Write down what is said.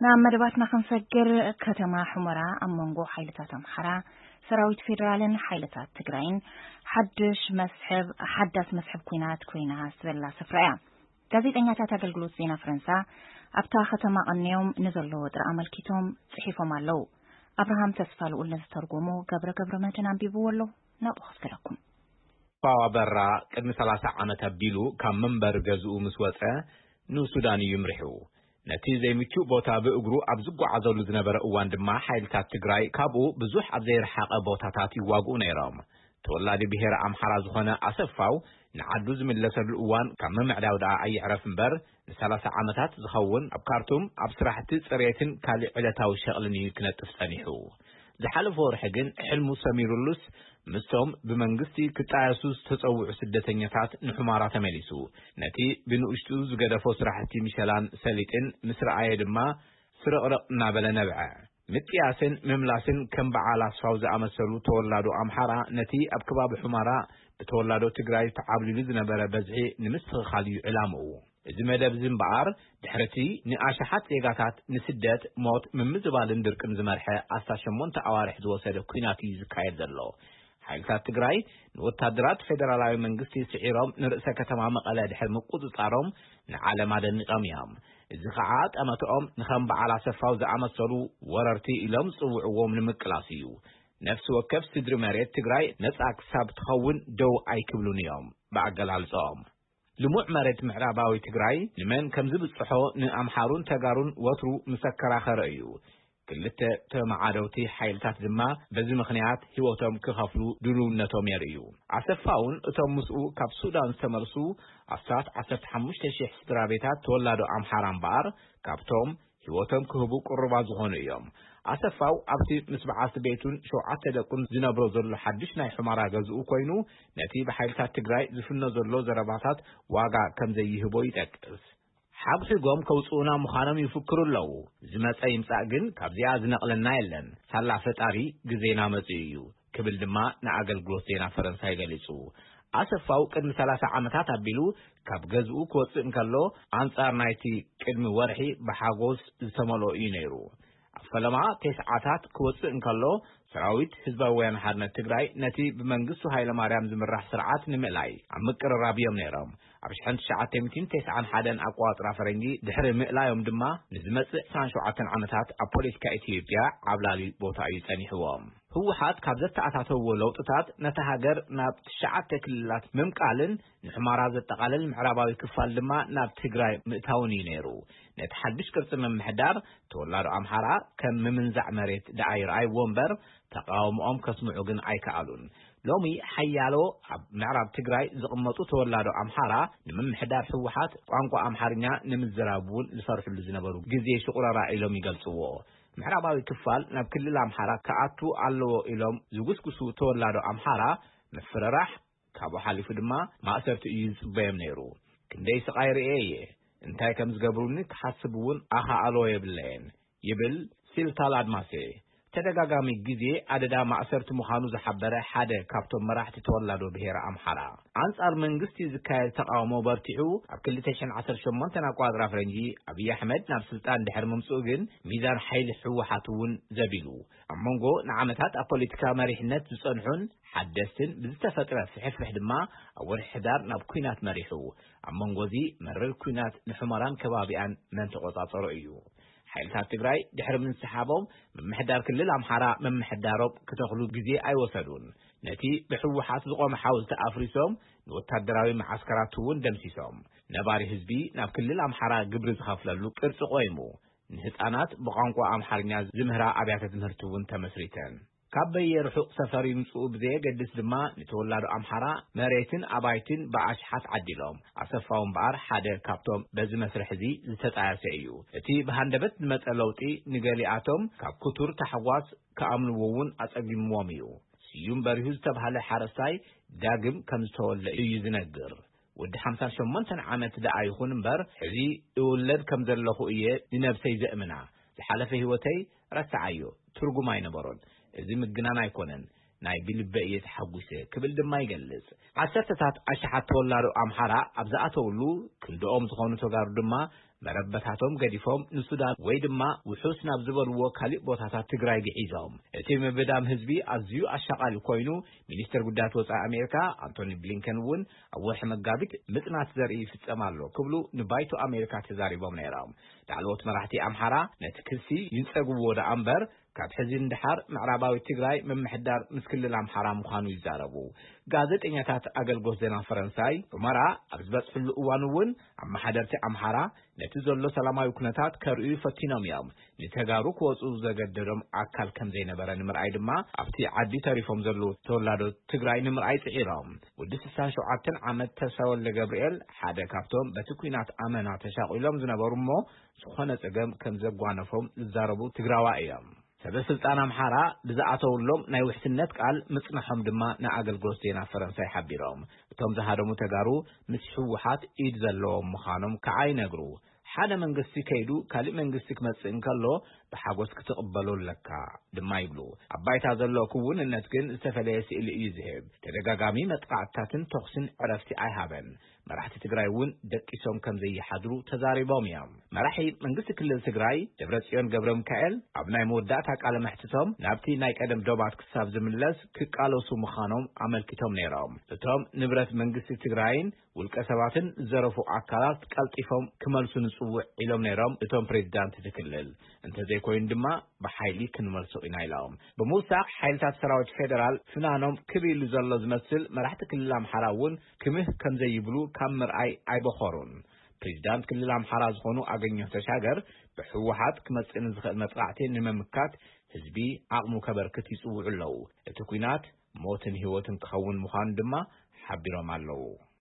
ናብ መደባትና ክንሰግር፣ ከተማ ሑመራ ኣብ መንጎ ሓይልታት ኣምሓራ፣ ሰራዊት ፌደራልን ሓይልታት ትግራይን ሓድሽ መስሕብ፣ ሓዳስ መስሕብ ኲናት ኮይና ዝበላ ስፍራ እያ። ጋዜጠኛታት ኣገልግሎት ዜና ፈረንሳ ኣብታ ከተማ ቀንዮም ንዘሎ ወጥሪ ኣመልኪቶም ጽሒፎም ኣለዉ። ኣብርሃም ተስፋ ልኡል ንዝተርጎሞ ገብረ ገብረ መድህን ኣንቢብዎ ኣሎ። ናብኡ ከስግረኩም። ፋዋ በራ ቅድሚ ሰላሳ ዓመት ኣቢሉ ካብ መንበሪ ገዝኡ ምስ ወጸ ንሱዳን እዩ ምሪሑ። ነቲ ዘይምቹእ ቦታ ብእግሩ ኣብ ዝጓዓዘሉ ዝነበረ እዋን ድማ ሓይልታት ትግራይ ካብኡ ብዙሕ ኣብ ዘይረሓቐ ቦታታት ይዋግኡ ነይሮም። ተወላዲ ብሄረ ኣምሓራ ዝኾነ ኣሰፋው ንዓዱ ዝምለሰሉ እዋን ካብ ምምዕዳው ደኣ ኣይዕረፍ እምበር ንሰላሳ ዓመታት ዝኸውን ኣብ ካርቱም ኣብ ስራሕቲ ጽሬትን ካልእ ዕለታዊ ሸቕልን እዩ ክነጥፍ ጸኒሑ። ዝሓለፈ ወርሒ ግን ሕልሙ ሰሚሩሉስ ምስቶም ብመንግስቲ ክጣየሱ ዝተጸውዑ ስደተኛታት ንሑመራ ተመሊሱ። ነቲ ብንኡሽቱ ዝገደፎ ስራሕቲ ምሸላን ሰሊጥን ምስ ረኣየ ድማ ስርቕርቕ እናበለ ነብዐ። ምጥያስን ምምላስን ከም በዓል ኣስፋው ዝኣመሰሉ ተወላዶ ኣምሓራ ነቲ ኣብ ከባቢ ሑመራ ብተወላዶ ትግራይ ተዓብሊሉ ዝነበረ በዝሒ ንምስትኽኻል እዩ ዕላምኡ። እዚ መደብ እዚ እምበኣር ድሕርቲ ንኣሽሓት ዜጋታት ንስደት፣ ሞት፣ ምምዝባልን ድርቅን ዝመርሐ ኣስታት ሸሞንተ ኣዋርሕ ዝወሰደ ኲናት እዩ ዝካየድ ዘሎ። ሓይልታት ትግራይ ንወታደራት ፌደራላዊ መንግስቲ ስዒሮም ንርእሰ ከተማ መቐለ ድሕሪ ምቁጽጻሮም ንዓለም ኣደኒቖም እዮም። እዚ ኸዓ ጠመትኦም ንኸም በዓል ኣሰፋው ዝኣመሰሉ ወረርቲ ኢሎም ዝጽውዕዎም ንምቅላስ እዩ። ነፍሲ ወከፍ ስድሪ መሬት ትግራይ ነጻ ክሳብ ትኸውን ደው ኣይክብሉን እዮም ብኣገላልጾኦም። ልሙዕ መሬት ምዕራባዊ ትግራይ ንመን ከም ዝብጽሖ ንኣምሓሩን ተጋሩን ወትሩ ምስ ኣከራኸረ እዩ። ክልተ ተመዓደውቲ ሓይልታት ድማ በዚ ምኽንያት ህይወቶም ክኸፍሉ ድልውነቶም የርእዩ። ኣሰፋውን እቶም ምስኡ ካብ ሱዳን ዝተመልሱ ኣስታት ዓሰርተ ሓሙሽተ ሺሕ ስድራ ቤታት ተወላዶ ኣምሓራ እምበኣር ካብቶም ህይወቶም ክህቡ ቅሩባት ዝኾኑ እዮም። ኣሰፋው ኣብቲ ምስ በዓልቲ ቤቱን ሸውዓተ ደቁን ዝነብሮ ዘሎ ሓድሽ ናይ ሑመራ ገዝኡ ኮይኑ ነቲ ብሓይልታት ትግራይ ዝፍኖ ዘሎ ዘረባታት ዋጋ ከም ዘይህቦ ይጠቅስ። ሓጉሒጎም ከውጽኡና ምዃኖም ይፍክሩ ኣለዉ። ዝመጸ ይምጻእ ግን ካብዚኣ ዝነቕለና የለን። ሳላ ፈጣሪ ግዜና መጺኡ እዩ ክብል ድማ ንኣገልግሎት ዜና ፈረንሳይ ገሊጹ። ኣሰፋው ቅድሚ ሰላሳ ዓመታት ኣቢሉ ካብ ገዝኡ ክወጽእ እንከሎ ኣንጻር ናይቲ ቅድሚ ወርሒ ብሓጎስ ዝተመልኦ እዩ ነይሩ። ኣብ ፈለማ ተስዓታት ክወጽእ እንከሎ ሰራዊት ህዝባዊ ወያነ ሓርነት ትግራይ ነቲ ብመንግስቱ ሃይለማርያም ዝምራሕ ስርዓት ንምእላይ ኣብ ምቅርራብ እዮም ነይሮም። ኣብ ሽሕን ትሽዓተ ሚእትን ተስዓን ሓደን ኣቆጻጽራ ፈረንጂ ድሕሪ ምእላዮም ድማ ንዝመጽእ ዕስራን ሸውዓተን ዓመታት ኣብ ፖለቲካ ኢትዮጵያ ዓብላሊ ቦታ እዩ ጸኒሕዎም። ህወሓት ካብ ዘተኣታተዎ ለውጥታት ነታ ሃገር ናብ ትሽዓተ ክልላት ምምቃልን ንሑመራ ዘጠቓልል ምዕራባዊ ክፋል ድማ ናብ ትግራይ ምእታውን እዩ ነይሩ። ነቲ ሓድሽ ቅርጺ ምምሕዳር ተወላዶ ኣምሓራ ከም ምምንዛዕ መሬት ደኣ ይረኣይዎ እምበር ተቃውሞኦም ከስምዑ ግን ኣይከኣሉን። ሎሚ ሓያሎ ኣብ ምዕራብ ትግራይ ዝቕመጡ ተወላዶ ኣምሓራ ንምምሕዳር ህወሓት ቋንቋ ኣምሓርኛ ንምዝራብ እውን ዝፈርሕሉ ዝነበሩ ግዜ ሽቑረራ ኢሎም ይገልጽዎ። ምዕራባዊ ክፋል ናብ ክልል ኣምሓራ ክኣቱ ኣለዎ ኢሎም ዝጉስጉሱ ተወላዶ ኣምሓራ ምፍርራሕ ካብኡ ሓሊፉ ድማ ማእሰርቲ እዩ ዝጽበዮም ነይሩ። ክንደይ ስቓይ ርእየ እየ። እንታይ ከም ዝገብሩኒ ክሓስብ እውን ኣኻእሎ የብለየን ይብል ሲልታል ኣድማሴ። ተደጋጋሚ ግዜ ኣደዳ ማእሰርቲ ምዃኑ ዝሓበረ ሓደ ካብቶም መራሕቲ ተወላዶ ብሄረ ኣምሓራ። ኣንጻር መንግስቲ ዝካየድ ተቃውሞ በርቲዑ ኣብ ክልተ ሽሕን ዓሰርተ ሸሞንተን ኣቆጻጽራ ፈረንጂ ኣብይ ኣሕመድ ናብ ስልጣን ድሕሪ ምምጽኡ ግን ሚዛን ሓይሊ ህወሓት እውን ዘቢሉ። ኣብ መንጎ ንዓመታት ኣብ ፖለቲካ መሪሕነት ዝጸንሑን ሓደስትን ብዝተፈጥረ ፍሕፍሕ ድማ ኣብ ወርሒ ሕዳር ናብ ኲናት መሪሑ። ኣብ መንጎ እዚ መረር ኲናት ንሑመራን ከባቢኣን መን ተቆጻጸሮ እዩ። ሓይልታት ትግራይ ድሕሪ ምንስሓቦም ምምሕዳር ክልል ኣምሓራ ምምሕዳሮም ክተኽሉ ግዜ ኣይወሰዱን። ነቲ ብህወሓት ዝቖመ ሓውልቲ ኣፍሪሶም ንወታደራዊ መዓስከራት እውን ደምሲሶም። ነባሪ ህዝቢ ናብ ክልል ኣምሓራ ግብሪ ዝኸፍለሉ ቅርጺ ቆይሙ። ንህጻናት ብቋንቋ ኣምሓርኛ ዝምህራ ኣብያተ ትምህርቲ እውን ተመስሪተን። ካብ በየ ርሑቕ ሰፈር ይምጽኡ ብዘየገድስ ድማ ንተወላዶ ኣምሓራ መሬትን ኣባይትን ብኣሽሓት ዓዲሎም። ኣሰፋው እምበኣር ሓደ ካብቶም በዚ መስርሕ እዚ ዝተጣየሰ እዩ። እቲ ብሃንደበት ዝመጸ ለውጢ ንገሊኣቶም ካብ ክቱር ታሕጓስ ክኣምንዎ እውን ኣጸጊምዎም እዩ። ስዩም በሪሁ ዝተባህለ ሓረስታይ ዳግም ከም ዝተወልደ እዩ ዝነግር። ወዲ ሓምሳን ሸሞንተን ዓመት ደኣ ይኹን እምበር፣ ሕዚ እውለድ ከም ዘለኹ እየ ንነብሰይ ዘእምና። ዝሓለፈ ህይወተይ ረስዓዮ፣ ትርጉም ኣይነበሮን። እዚ ምግናን ኣይኮነን፣ ናይ ብልበ እየ ተሓጒሰ ክብል ድማ ይገልጽ። ዓሰርተታት ኣሽሓት ተወላዶ ኣምሓራ ኣብ ዝኣተውሉ፣ ክንድኦም ዝኾኑ ተጋሩ ድማ መረበታቶም ገዲፎም ንሱዳን ወይ ድማ ውሑስ ናብ ዝበልዎ ካሊእ ቦታታት ትግራይ ግዒዞም። እቲ ምብዳም ህዝቢ ኣዝዩ ኣሻቓሊ ኮይኑ፣ ሚኒስትር ጉዳያት ወጻኢ ኣሜሪካ ኣንቶኒ ብሊንከን እውን ኣብ ወርሒ መጋቢት ምጽናት ዘርኢ ይፍጸም ኣሎ ክብሉ ንባይቶ ኣሜሪካ ተዛሪቦም ነይሮም። ላዕለዎት መራሕቲ ኣምሓራ ነቲ ክሲ ይንጸግዎ ደኣ እምበር፣ ካብ ሕዚ ንድሓር ምዕራባዊ ትግራይ ምምሕዳር ምስ ክልል ኣምሓራ ምዃኑ ይዛረቡ። ጋዜጠኛታት ኣገልግሎት ዜና ፈረንሳይ ሑመራ ኣብ ዝበጽሕሉ እዋን እውን፣ ኣመሓደርቲ ኣምሓራ ነቲ ዘሎ ሰላማዊ ኩነታት ከርእዩ ፈቲኖም እዮም። ንተጋሩ ክወጹ ዘገደዶም ኣካል ከም ዘይነበረ ንምርኣይ ድማ፣ ኣብቲ ዓዲ ተሪፎም ዘለዉ ተወላዶ ትግራይ ንምርኣይ ጽዒሮም። ወዲ ስሳን ሸውዓተን ዓመት ተስፋ ወልደ ገብርኤል ሓደ ካብቶም በቲ ኲናት ኣመና ተሻቒሎም ዝነበሩ እሞ፣ ዝኾነ ጸገም ከም ዘጓነፎም ዝዛረቡ ትግራዋ እዮም። ሰበ ስልጣን ኣምሓራ ብዝኣተውሎም ናይ ውሕስነት ቃል ምጽናሖም ድማ ንኣገልግሎት ዜና ፈረንሳይ ሓቢሮም። እቶም ዝሃደሙ ተጋሩ ምስ ህወሓት ኢድ ዘለዎም ምዃኖም ከዓ ይነግሩ። ሓደ መንግስቲ ከይዱ ካልእ መንግስቲ ክመጽእ እንከሎ ብሓጎስ ክትቕበሎ ኣለካ ድማ ይብሉ። ኣብ ባይታ ዘሎ ክውንነት ግን ዝተፈለየ ስእሊ እዩ ዝህብ። ተደጋጋሚ መጥቃዕትታትን ተኹስን ዕረፍቲ ኣይሃበን። መራሕቲ ትግራይ እውን ደቂሶም ከም ዘይሓድሩ ተዛሪቦም እዮም። መራሒ መንግስቲ ክልል ትግራይ ደብረጽዮን ገብረ ሚካኤል ኣብ ናይ መወዳእታ ቃለ መሕትቶም ናብቲ ናይ ቀደም ዶባት ክሳብ ዝምለስ ክቃለሱ ምዃኖም ኣመልኪቶም ነይሮም። እቶም ንብረት መንግስቲ ትግራይን ውልቀ ሰባትን ዝዘረፉ ኣካላት ቀልጢፎም ክመልሱ ንጽውዕ ኢሎም ነይሮም እቶም ፕሬዚዳንት እቲ ክልል። እንተዘይኮይኑ ድማ ብሓይሊ ክንመልሶ ኢና ኢሎም። ብምውሳኽ ሓይልታት ሰራዊት ፌደራል ፍናኖም ክብ ኢሉ ዘሎ ዝመስል መራሕቲ ክልል ኣምሓራ እውን ክምህ ከም ዘይብሉ ካብ ምርኣይ ኣይበኸሩን። ፕሬዚዳንት ክልል ኣምሓራ ዝኾኑ ኣገኘሁ ተሻገር ብህወሓት ክመጽእ ንዝኽእል መጥቃዕቲ ንምምካት ህዝቢ ዓቕሙ ከበርክት ይጽውዑ ኣለዉ። እቲ ኲናት ሞትን ህይወትን ክኸውን ምዃኑ ድማ ሓቢሮም ኣለዉ።